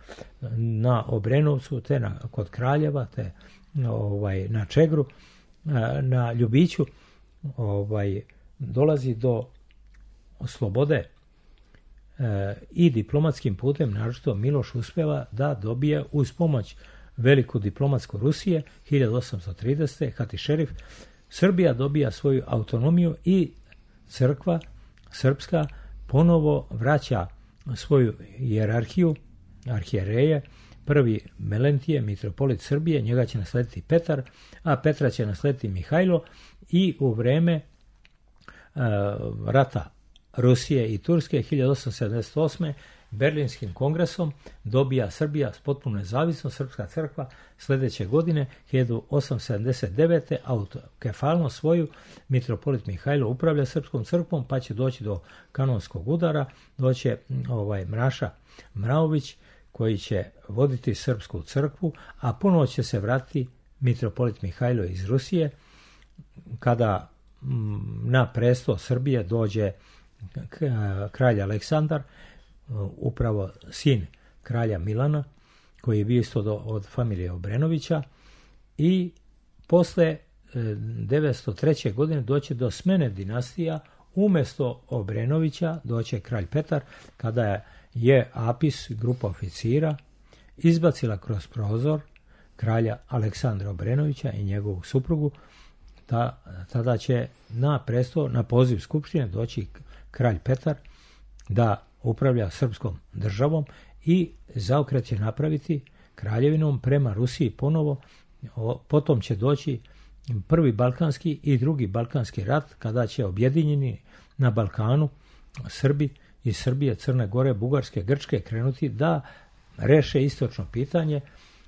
na Obrenovcu, te na, kod Kraljeva, te ovaj, na Čegru, na Ljubiću, ovaj, dolazi do slobode e, i diplomatskim putem, naročito Miloš uspeva da dobije uz pomoć veliku diplomatsku Rusije, hiljadu osamsto tridesete. Hatišerif, Srbija dobija svoju autonomiju i crkva srpska ponovo vraća svoju hijerarhiju, arhijereje. Prvi Melentije, mitropolit Srbije, njega će naslediti Petar, a Petra će naslediti Mihajlo i u vreme uh, rata Rusije i Turske hiljadu osamsto sedamdeset osme. Berlinskim kongresom dobija Srbija potpuno nezavisnost, srpska crkva sljedeće godine hiljadu osamsto sedamdeset devete. autokefalno svoju mitropolit Mihajlo upravlja srpskom crkvom, pa će doći do kanonskog udara, doće ovaj Mraša Mraović koji će voditi srpsku crkvu, a ponovo će se vratiti mitropolit Mihajlo iz Rusije kada na presto Srbije dođe kralj Aleksandar, upravo sin kralja Milana, koji je bio isto do, od familije Obrenovića, i posle devetsto treće. godine doće do smene dinastija, umjesto Obrenovića doće kralj Petar, kada je, je Apis, grupa oficira, izbacila kroz prozor kralja Aleksandra Obrenovića i njegovu suprugu. Ta, tada će na presto, na poziv skupštine doći kralj Petar da upravlja srpskom državom i zaokret će napraviti kraljevinom prema Rusiji ponovo. Potom će doći prvi balkanski i drugi balkanski rat, kada će objedinjeni na Balkanu Srbi iz Srbije, Crne Gore, Bugarske, Grčke krenuti da reše istočno pitanje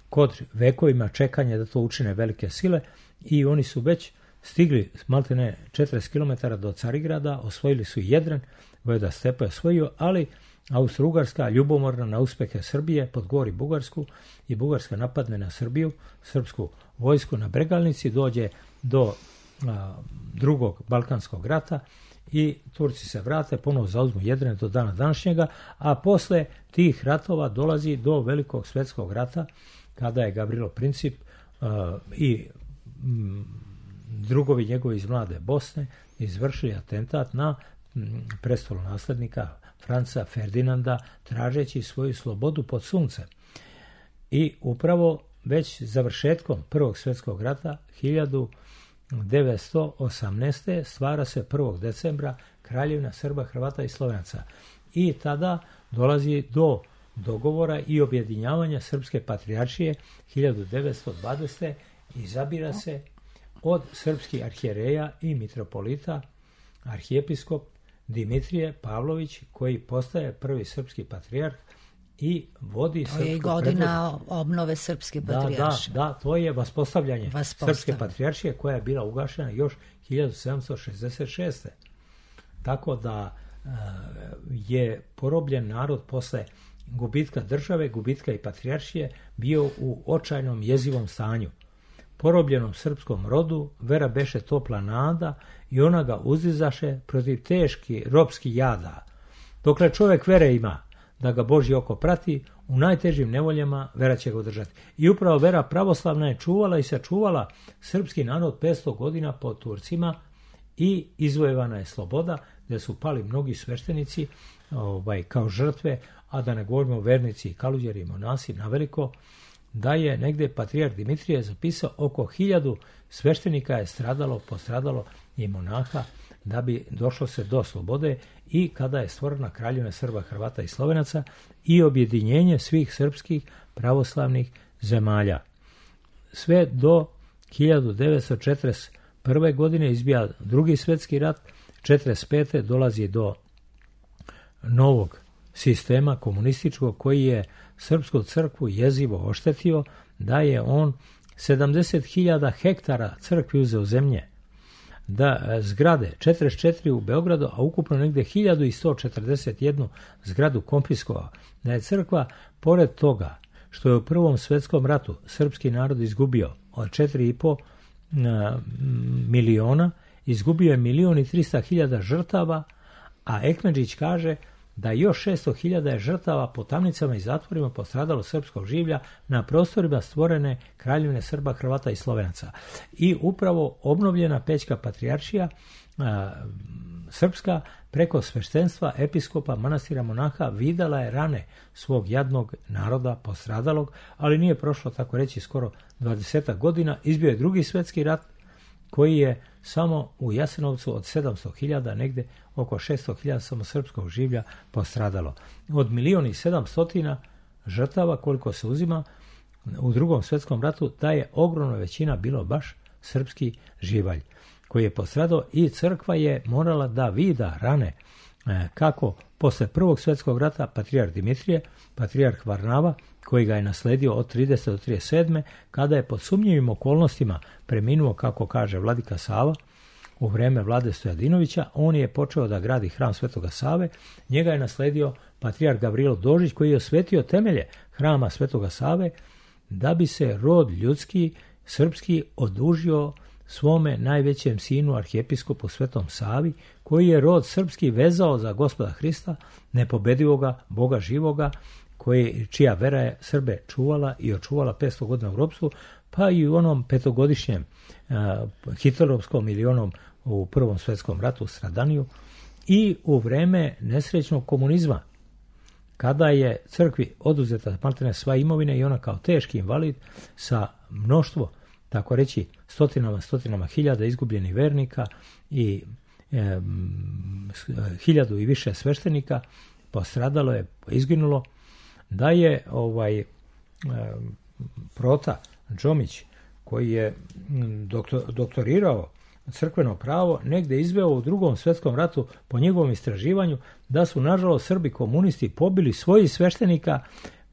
kod vekovima čekanja da to učine velike sile, i oni su već stigli maltene četrdeset kilometara do Carigrada, osvojili su Jedren, Vojvoda Stepa je osvojio, ali Austro-Ugarska, ljubomorna na uspehe Srbije, podgori Bugarsku i Bugarska napadne na Srbiju, srpsku vojsku na Bregalnici, dođe do a, drugog Balkanskog rata i Turci se vrate, ponovo zauzmu Jedren do dana današnjega, a posle tih ratova dolazi do Velikog svjetskog rata, kada je Gavrilo Princip a, i m, drugovi njegovi iz mlade Bosne izvršili atentat na prestolonaslednika Franca Ferdinanda, tražeći svoju slobodu pod suncem. I upravo već završetkom Prvog svjetskog rata hiljadu devetsto osamnaeste. stvara se prvog decembra Kraljevina Srba, Hrvata i Slovenaca. I tada dolazi do dogovora i objedinjavanja Srpske patrijaršije hiljadu devetsto dvadesete. Izabira se od srpskih arhijereja i mitropolita arhijepiskop Dimitrije Pavlović, koji postaje prvi srpski patrijarh i vodi srpsku... To je godina predvod... obnove Srpske patrijaršije. Da, da, da, to je vaspostavljanje Srpske patrijaršije, koja je bila ugašena još hiljadu sedamsto šezdeset šeste. Tako da uh, je porobljen narod posle gubitka države, gubitka i patrijaršije, bio u očajnom jezivom stanju. Porobljenom srpskom rodu vera beše topla nada i ona ga uzdizaše protiv teški ropski jada. Dokle čovjek vere ima da ga Božje oko prati, u najtežim nevoljama vera će ga održati. I upravo vera pravoslavna je čuvala i sačuvala srpski narod petsto godina pod Turcima i izvojevana je sloboda, gdje su pali mnogi sveštenici ovaj, kao žrtve, a da ne govorimo vernici, kaluđeri i monasi naveliko, da je negdje patrijarh Dimitrije zapisao oko hiljadu sveštenika je stradalo, postradalo i monaha da bi došlo se do slobode, i kada je stvorena Kraljevina Srba, Hrvata i Slovenaca i objedinjenje svih srpskih pravoslavnih zemalja. Sve do hiljadu devetsto četrdeset prve. godine izbija drugi svjetski rat, četrdeset pete. dolazi do novog sistema komunističkog koji je srpsku crkvu jezivo oštetio, da je on sedamdeset hiljada hektara crkvi uzeo zemlje, da zgrade četrdeset četiri u Beogradu, a ukupno negde hiljadu sto četrdeset jednu zgradu konfiskovao, da je crkva, pored toga što je u Prvom svetskom ratu srpski narod izgubio od četiri i po miliona, izgubio je milion i trista hiljada žrtava, a Ekmedžić kaže da još šesto hiljada je žrtava po tamnicama i zatvorima postradalo srpskog življa na prostorima stvorene Kraljevine Srba, Hrvata i Slovenaca. I upravo obnovljena Pećka patrijaršija a, srpska preko sveštenstva, episkopa, manastira, monaha videla je rane svog jadnog naroda postradalog, ali nije prošlo, tako reći, skoro dvadesetak godina. Izbio je drugi svjetski rat koji je samo u Jasenovcu od sedamsto hiljada, negde oko šesto hiljada samo srpskog življa postradalo. Od milion i sedamstotina žrtava koliko se uzima u drugom svjetskom ratu, da je ogromna većina bilo baš srpski živalj koji je postradao i crkva je morala da vida rane kako posle prvog svjetskog rata patrijarh Dimitrije, patrijarh Varnava, koji ga je nasledio od tridesete do trideset sedme kada je pod sumnjivim okolnostima preminuo, kako kaže vladika Sava, u vreme vlade Stojadinovića, on je počeo da gradi hram Svetoga Save, njega je nasledio patrijarh Gavrilo Dožić, koji je osvetio temelje hrama Svetoga Save, da bi se rod ljudski, srpski, odužio svome najvećem sinu, arhijepiskopu Svetom Savi, koji je rod srpski vezao za Gospoda Hrista, nepobedivoga, Boga živoga, koji, čija vera je Srbe čuvala i očuvala petsto godina u ropstvu, pa i u onom petogodišnjem a, hitlerovskom ili onom u Prvom svjetskom ratu stradaniju, i u vreme nesrećnog komunizma, kada je crkvi oduzeta maltene sva imovina i ona kao teški invalid sa mnoštvo, tako reći, stotinama, stotinama hiljada izgubljenih vernika i e, hiljadu i više sveštenika postradalo je, izginulo, da je ovaj e, Prota Džomić, koji je doktor, doktorirao crkveno pravo, negde izveo u drugom svjetskom ratu po njegovom istraživanju da su nažalost Srbi komunisti pobili svojih sveštenika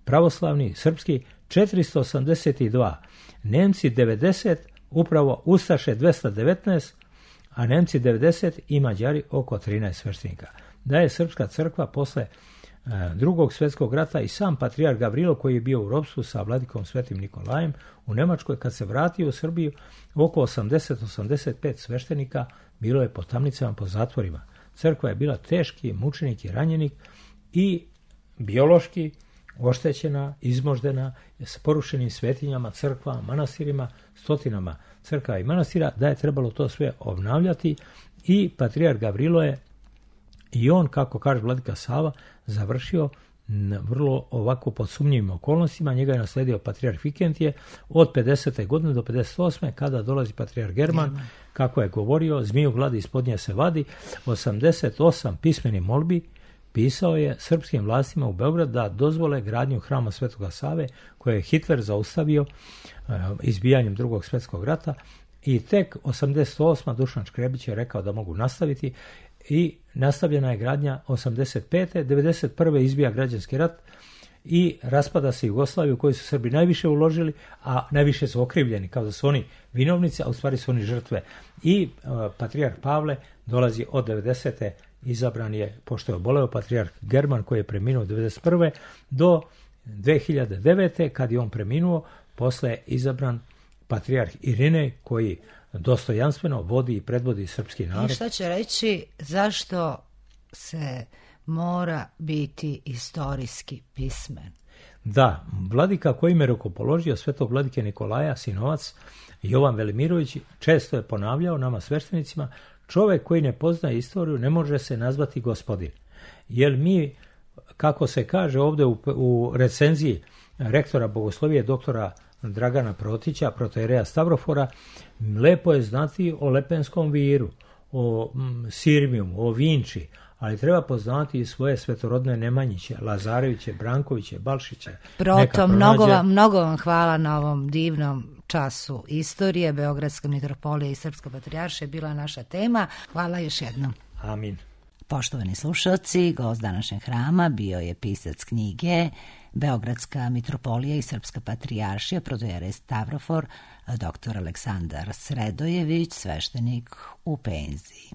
pravoslavni srpski četiristo osamdeset dva, Nemci devedeset, upravo Ustaše dvesta devetnaest, a Nemci devedeset i Mađari oko trinaest sveštenika. Da je srpska crkva posle e, drugog svjetskog rata i sam patrijarh Gavrilo, koji je bio u ropstvu sa vladikom Svetim Nikolajem u Nemačkoj, kad se vratio u Srbiju, oko osamdeset do osamdeset pet sveštenika bilo je po tamnicama, po zatvorima. Crkva je bila teški mučenik i ranjenik i biološki oštećena, izmoždena, s porušenim svetinjama, crkvama, manastirima, stotinama crkava i manastira, da je trebalo to sve obnavljati i patrijarh Gavrilo je i on, kako kaže vladika Sava, završio vrlo ovako pod sumnjivim okolnostima. Njega je nasledio patrijarh Vikentije od pedesete godine do pedeset osme kada dolazi patrijarh German, German. Kako je govorio, zmiju gladi ispod nje se vadi, osamdeset osam pismenih molbi pisao je srpskim vlastima u Beograd da dozvole gradnju hrama Svetoga Save, koje je Hitler zaustavio uh, izbijanjem drugog svjetskog rata, i tek osamdeset osme Dušan Škrebić je rekao da mogu nastaviti i nastavljena je gradnja osamdeset pete devedeset prve izbija građanski rat i raspada se Jugoslaviju, u kojoj su Srbi najviše uložili, a najviše su okrivljeni, kao da su oni vinovnici, a u stvari su oni žrtve. I uh, patrijarh Pavle dolazi od devedesete izabran je, pošto je oboleo, patrijarh German, koji je preminuo devedeset prve do dve hiljade devete kad je on preminuo, posle je izabran patrijarh Irinej, koji dostojanstveno vodi i predvodi srpski narod. I šta će reći zašto se mora biti istorijski pismen? Da, vladika koji me rukopoložio, svetog vladike Nikolaja, sinovac Jovan Velimirović, često je ponavljao nama sveštenicima: čovjek koji ne poznaje istoriju ne može se nazvati gospodin. Jer mi, kako se kaže ovdje u, u recenziji rektora bogoslovije doktora Dragana Protića, protojereja Stavrofora, lepo je znati o Lepenskom viru, o mm, Sirmijumu, o Vinči, ali treba poznati i svoje svetorodne Nemanjiće, Lazareviće, Brankoviće, Balšiće. Proto, mnogo vam, mnogo vam hvala na ovom divnom času istorije. Beogradska mitropolija i Srpska patrijaršija je bila naša tema. Hvala još jednom. Amin. Poštovani slušalci, gost današnjeg hrama bio je pisac knjige Beogradska mitropolija i Srpska patrijaršija, protojerej Stavrofor, doktor Aleksandar Sredojević, sveštenik u penziji.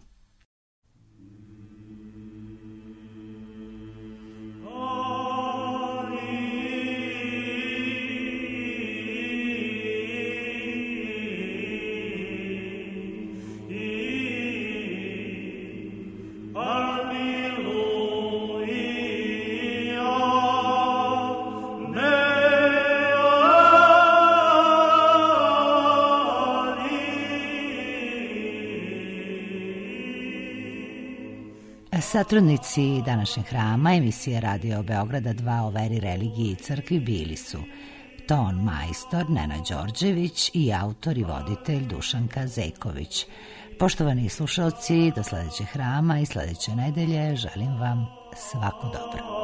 Satrudnici današnjeg hrama emisije Radio Beograda dva o veri, religiji i crkvi bili su ton majstor Nenad Đorđević i autor i voditelj Dušanka Zeković. Poštovani slušalci, do sledećeg hrama i sledeće nedelje želim vam svako dobro.